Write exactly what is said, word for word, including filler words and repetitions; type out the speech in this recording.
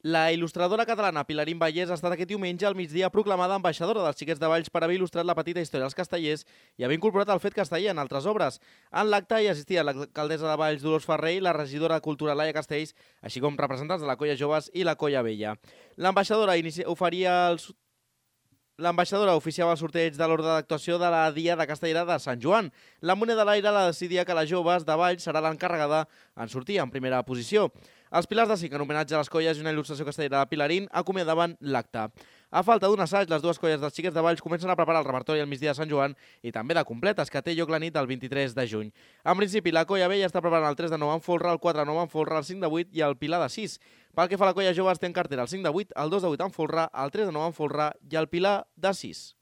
La il·lustradora catalana Pilarín Vallès ha estat aquest diumenge al migdia proclamada ambaixadora dels Xiquets de Valls per haver il·lustrat la petita història dels castellers i haver incorporat el fet casteller en altres obres. En l'acte hi assistien l'alcaldessa de Valls, Dolors Ferrer, i la regidora de Cultura, Laia Castells, així com representants de la Colla Joves i la Colla Vella. L'ambaixadora oferia els L'ambaixadora oficiava el sorteig de l'ordre d'actuació de la Dia de Castellera de Sant Joan. La moneda de l'aire la decidia que les joves de Valls serà l'encarregada en sortir en primera posició. Els pilars de cinc en homenatge a les colles i una il·lustració castellera de Pilarín acomiadaven l'acte. A falta d'un assaig, les dues colles dels Xiquets de Valls comencen a preparar el repertori al migdia de Sant Joan i també de completes, que té lloc la nit del vint-i-tres de juny. En principi, la Colla Vella està preparant el tres de nou en folre, el quatre de nou en folre, el cinc de vuit i el pilar de sis. Pel que fa a la Colla Joves, té en cartera el cinc de vuit, el dos de vuit en folre, el tres de nou en folre i el pilar de sis.